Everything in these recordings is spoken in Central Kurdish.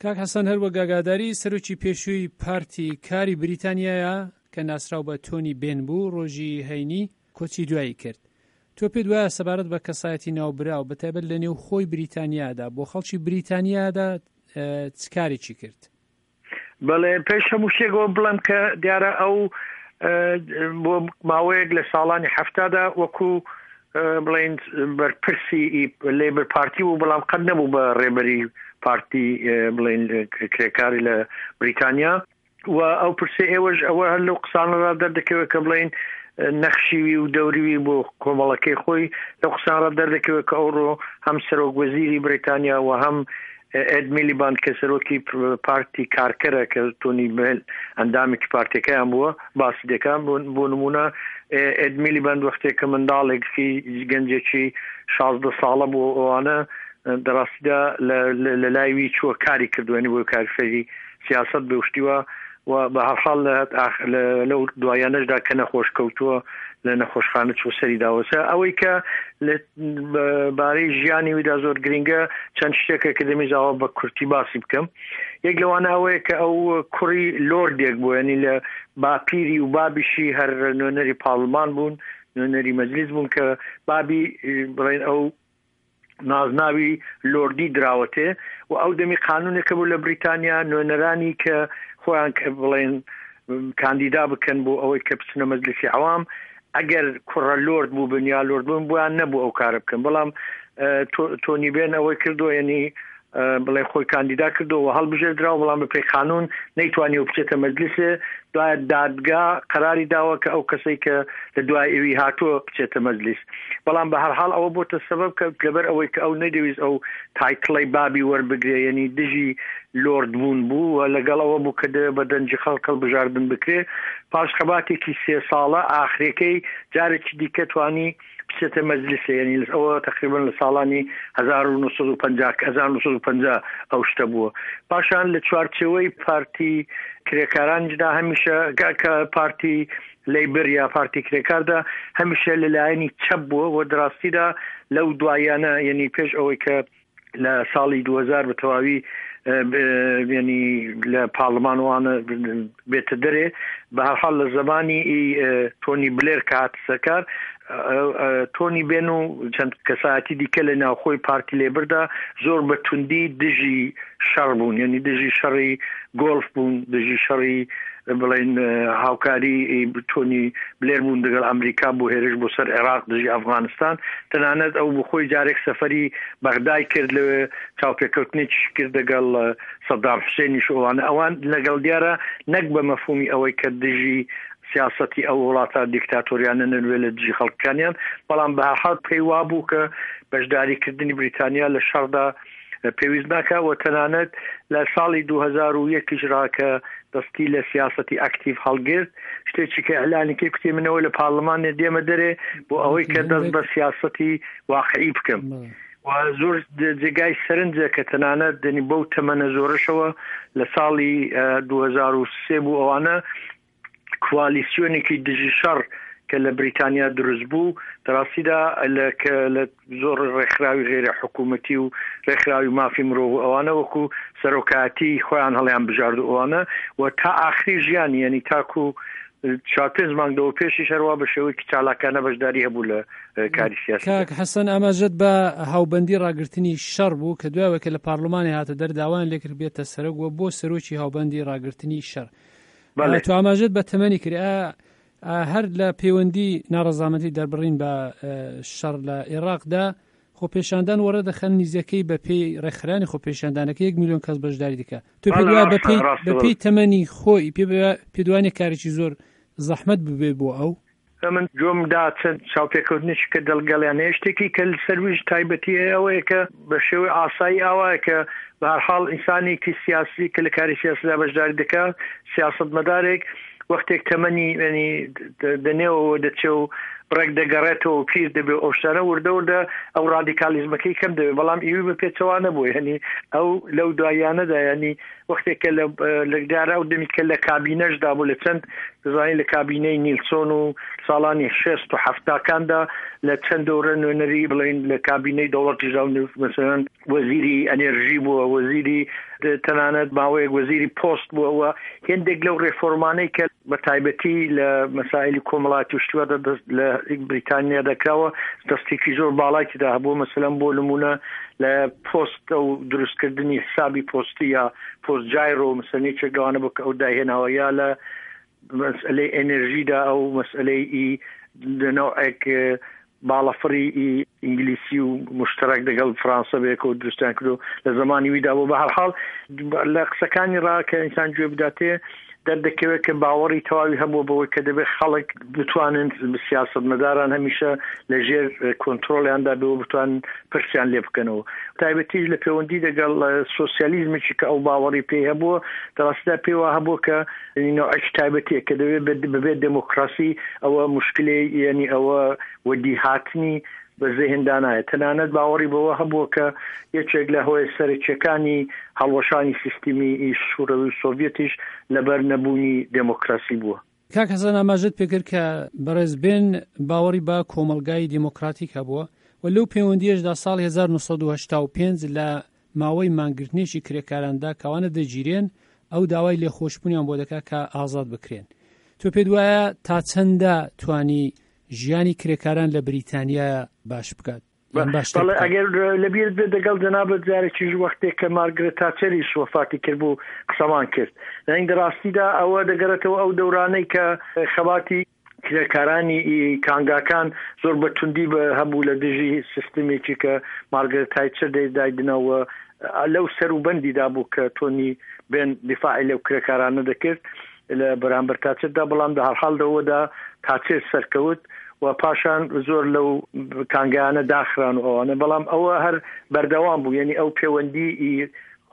کاک حەسەن هەر وەک ئاگاداری سەرۆکی پێشووی پارتی کاری بریتانیایە کە ناسراو بە تۆنی بێن بوو ڕۆژی هەینی کۆچی دوایی کرد. تۆ پێت وایە سەبارەت بە کەسایەتی ناوبراو بە تایبەت لە نێو خۆی بریتانیادا بۆ خەڵکی بریتانیادا چ کارێکی کرد؟ بەڵێ پێش هەموو شتێکەوە بڵێم کە دیارە ئەو بۆ ماوەیەک لە ساڵانی حەفتادا وەکو بڵین بەرپرسی لەیبر پارتی بوو بەڵام قەت نەبوو بە ڕێبەری پارتی بڵین کرێکاری لە بریتانیا و ئەو پرسی ئێوەش ئەوە هەر لەو قسانەدا دەردەکەوێت کە بڵین نەخشیوی و دەوریوی بۆ کۆمەڵەکەی خۆی لەو قسانڕا دەردەکەوێت کە ئەوڕۆ هەم سەرۆک وەزیری بریتانیا و هەم ئێد میلیباند کە سەرۆکی پارتی کارکەرە کە تۆنی بێل ئەندامێکی پارتەکەیان بووە باسی دەکات بۆ نمونە ئێد میلیباند وەختێک کە منداڵێکی گەنجێکی 16 ساڵە بۆ ئەوانە دەڕاستیدا لە لایوی چووە کاری کردوێنی بۆ کاری فێری سیاسەت بێ و شتیوە و بە هەرحاڵ لە لەو دوایانەشدا کە نەخۆش کەوتووە لە نەخۆشخانە چوو سەری داوەسە ئەوەی کە لە بارەی ژیانی ویدا زۆر گرنگە چەند شتێکە کە دەمیزاوە بە کورتی باسی بکەم یەک لەوانە ئەوەیە کە ئەو کوڕی لۆردێک بوو ینی لە باپیری و بابیشی هەر نوێنەری پارلمان بوون نوێنەری مەجلیس بوون کە بابی بڵێن ئەو نازناوی لۆردی دراوەتێ و ئەو دەمی قانونێکە بوو لە بریتانیا نوێنەرانی کە خۆیان کە بڵێن کاندیدا بکەن بۆ ئەوەی کە بچنە مەجلیسی عەوام ئەگەر کوڕە لۆرد بوو بن یا لۆرد بوون بۆیان نەبوو ئەو کارە بکەن بەڵام تۆنی بێن ئەوەی کردو یعنی بڵێ خۆی کاندیدا کردو و هەڵبژێردراوە بەڵام بەپێی قانون نەیتوانیوە بچێتە مەجلیسێ دوایە دادگا قەراری داوە کە ئەو کەسەی کە لە دوای ئەوی هاتووە بچێتە مەجلیس بەڵام بە هەرحاڵ ئەوە بۆتە سەبەب کە لەبەر ئەوەی کە ئەو نەیدەویست ئەو تایتڵەی بابی وەربگرێ یعنی دژی لۆرد بوون بوو و لەگەڵ ئەوە بوو کە دەوێت بە دەنگی خەڵک هەڵبژاردن بکرێ پاش خەباتێکی سێ ساڵە ئاخرەکەی جارێکی دیکە توانی بچێتە مەجلیسێ یعنی ئەوە تقریبا لە ساڵانی 1950 1950 ئەو شتە بووە پاشان لە چوارچێوەی پارتی کرێکارانیشدا هەمیشە کە پارتی لەیبر یا پارتی کرێکاردا هەمیشە لەلایەنی چەپ بووە و دراستیدا لەو دوایانە یعنی پێش ئەوەی کە لە ساڵی 2000 بە تەواوی ینی لە پارلمان وانە بێتە دەرێ بە هەرحاڵ لە زمانی تۆنی بلێر کە هاتە سەرکار تۆنی بێن و چەند کەسایەتی دیکە لە ناوخۆی پارتی لێبردا زۆر بە توندی دژی شەڕ بوون یعنی دژی شەڕی گۆڵف بوون دژی شەڕی بڵێن هاوکاری تۆنی بلێر بوون دەگەڵ ئەمریکا بۆ هێرش بۆ سەر عێراق دژی ئەفغانستان تەنانەت ئەو بخۆی جارێک سەفەری بەغدای کرد لەوێ چاوپێکەوتنێکیش کرد دەگەڵ سەدام حوسێنیش ئەوانە ئەوان لەگەڵ دیارە نەک بە مەفهومی ئەوەی کە دژی سیاسەتی ئەو وڵاتە دیکتاتۆریانە نەنوێ لە دژی خەڵکانیان بەڵام بە هەرحاڵ پێی وابوو کە بەشداریکردنی بریتانیا لە شەڕدا پێویست ناکا و تەنانەت لە ساڵی 2001 ڕا کە دەستی لە سیاسەتی ئەکتیڤ هەڵگرت شتێکی کە ئیعلانی کرد کوتی منەوە لە پارلمان دێمە دەرێ بۆ ئەوەی کە دەست بە سیاسەتی واقعی بکەم و زۆر جێگای سەرنجە کە تەنانەت دەنی بەو تەمەنە زۆرەشەوە لە ساڵی 2003 بوو ئەوانە کوالیسیۆنێکی دژی شەڕ کە لە بریتانیا دروست بوو دەڕاستیدا لە کە لە زۆر ڕێکخراوی غێرە حکوومەتی و ڕێکخراوی مافی مرۆڤ و ئەوانە وەکو سەرۆکایەتی خۆیان هەڵیان بژارد و ئەوانە و تا ئاخری ژیانی یعنی تاکو چوار پێنج مانگ لەوە پێشیش هەروا بە شێوەیەکی چالاکانە بەشداری هەبوو لە کاری سیاسی. کاک حەسەن ئاماژەت بە هاوبەندی ڕاگرتنی شەڕ بوو کە دوای کە لە پارلمانی هاتە دەر داوایان لێکرد بێتە سەرۆک و بۆ سەرۆکی هاوبەندی ڕاگرتنی شەڕ. تۆ ئاماژەت بە تەمەنی کرد هەر لە پەیوەندی ناڕەزامەندی دەربڕین بە شەڕ لە عێراقدا خۆپێشاندان وەڕێ دەخەن نیزەکەی بە پێی ڕێکخرانی خۆپێشاندانەکە یەک میلیۆن کەس بەشداری دەکا تۆ پێ بەپێی تەمەنی خۆی پێ پێدوانێ کارێکی زۆر زەحمەت ببێ بۆ ئەو ئەمن گوێم دا چەند چاوپێکەوتنێکی کە دەلگەڵیان هەیە شتێکی کە سەرویش تایبەتی هەیە ئەوەیە کە بە شێوەی ئاسایی ئاوایە کە بە هەرحاڵ ئینسانێکی سیاسی کە لە کاری سیاسیدا بەشداری دەکات سیاسەتمەدارێک وەختێک تەمەنی ینی دەنێوەوە دەچێ و بڕێک دەگەڕێتەوە و پیر دەبێ و ئەو شتانە وردە وردە ئەو ڕادیکالیزمەکەی کەم دەبێ بەڵام ئیوی بە پێچەوانە بوو یعنی ئەو لەو دواییانەدا یعنی وەختێک کە لە لە دیارە ئەو دەمی کە لە کابینەشدا بوو لە چەند دەزانین لە کابینەی نیلسۆن و ساڵانی شێست و حەفتاکاندا لە چەند دەورە نوێنەری بڵێین لە کابینەی دەوڵەتیشدا و مەسەلەن وەزیری ئەنێرژی بووە وەزیری تەنانەت ماوەیەک وەزیری پۆست بووە و هێندێک لەو ڕێفۆرمانەی کە بە تایبەتی لە مەسائلی کۆمەڵاتی و شتیوادا دەست لە بریتانیا دەکراوە دەستێکی زۆر باڵای تێدا هەبووە مەسەلەن بۆ نمونە لە پۆست ئەو دروستکردنی حسابی پۆستی یا پۆست جایرۆ مەسەلەن یەکێک لەوانە بوو کە ئەو دایهێناوە یا لە مەسئلەی ئەنێرژیدا ئەو مەسئلەی ئی نەوعێک باڵەفڕی ئی ئینگلیسی و مشتەرەک دەگەڵ فرانسە بەیەکەوە دروستیان کردو لە زەمانی ویدا بوو بە هەرحاڵ لە قسەکانی ڕا کە ئینسان گوێ بداتێ دەردەکەوێت کە باوەڕی تەواوی هەبووە بەوەی کە دەبێت خەڵک بتوانن سیاسەتمەداران هەمیشە لە ژێر کۆنترۆڵیاندا بێ و بتوانن پرسیان لێ بکەنەوە تایبەتیش لە پەیوەندی دەگەڵ سۆسیالیزمێکی کە ئەو باوەڕی پێی هەبووە دەڕاستیدا پێی وا هەبووە کە نەوعێکی تایبەتیە کە دەبێت بەبێت دێمۆکراسی ئەوە مشکلەی یعنی ئەوە وەدیهاتنی بە زێهندا نایەت. تەنانەت باوەڕی بەوە هەبووە کە یەکێک لە هۆیە سەرەکییەکانی هەڵوەشانی سیستمی شوڕەوی و سۆڤیەتیش لەبەر نەبوونی دێمۆکراسی بووە. کاک حەسەن ئاماژەت پێکرد کە بەڕێز بێن باوەڕی بە کۆمەڵگای دێمۆکراتیک هەبووە و لەو پەیوەندییەشدا ساڵی 1985 لە ماوەی مانگرتنێکی کرێکاراندا کەوانە دەگیرێن ئەو داوای لێخۆشبوونیان بۆ دەکات کە ئازاد بکرێن. تۆ پێت وایە تا چەندە توانی ژیانی کرێکاران لە بریتانیا باش بکات یان باشتر بەڵێ بکات؟ ئەگەر لەبیرت بێت دەگەڵ جەنابت جارێکیش وەختێک کە مارگرێت تاچەریش وەفاتی کرد بوو قسەمان کرد یانی دە ڕاستیدا ئەوە دەگەڕێتەوە ئەو دەورانەی کە خەباتی کرێکارانی کانگاکان زۆر بە توندی بە هەبوو لە دژی سیستمێکی کە مارگرێت تایچەر دایدنەوە لەو سەروبەندیدا بوو کە تۆنی بێن دیفاعی لەو کرێکارانە دەکرد لە بەرامبەر تاچردا بەڵام دە هەرحاڵ لەوەدا تاچر سەرکەوت و پاشان زۆر لەو کانگایانە داخران و ئەوانە بەڵام ئەوە هەر بەردەوام بوو یعنی ئەو پەیوەندی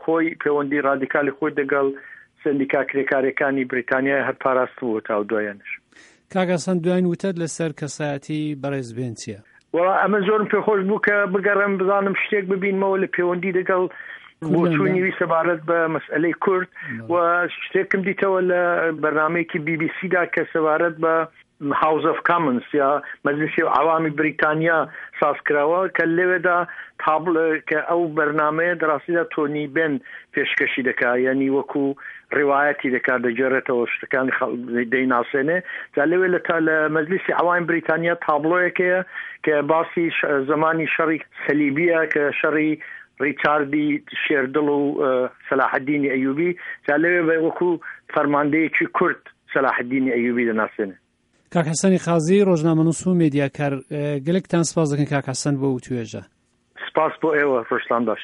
خۆی پەیوەندی ڕادیکالی خۆی دەگەڵ سندیکا کرێکارەکانی بریتانیا هەر پاراست بوو تا دوایانش. کاک حەسەن دواین وتەت لەسەر کەسایەتی بەڕێز بێن چیە؟ وەڵا ئەمن زۆرم پێخۆش بوو کە بگەڕێم بزانم شتێک ببینمەوە لە پەیوەندی دەگەڵ بۆچوونی وی سەبارەت بە مەسئلەی کورد و شتێکم دیتەوە لە بەرنمەیەکی بی بی سیدا کە سەبارەت بە هاوس ئۆف کامنس یا مەجلیسی عەوامی بریتانیا ساز کراوە کە لەوێدا تابڵ کە ئەو بەرنمەیە دەڕاستیدا تۆنی بێن پێشکەشی دەکا یعنی وەکو ڕیوایەتی دەکات دەگێڕێتەوە شتەکانی دەیناسێنێ جا لەوێ لە تا لە مەجلیسی عەوامی بریتانیا تابڵۆیەک هەیە کە باسی زمانی شەڕی سەلیبیە کە شەڕی ڕیچاردی شێردڵ و سەلاحەدینی ئەیوبی جا لەوێ بە وەکو فەرماندەیەکی کورد سەلاحەدینی ئەیوبی دەناسێنێ. کاک حەسەنی قازی ڕۆژنامەنووس و مێدیاکار گەلێکتان سپاس دەکەین کاک حەسەن بۆ وتوێژە. سپاس بۆ ئێوە ڕۆژتان باش.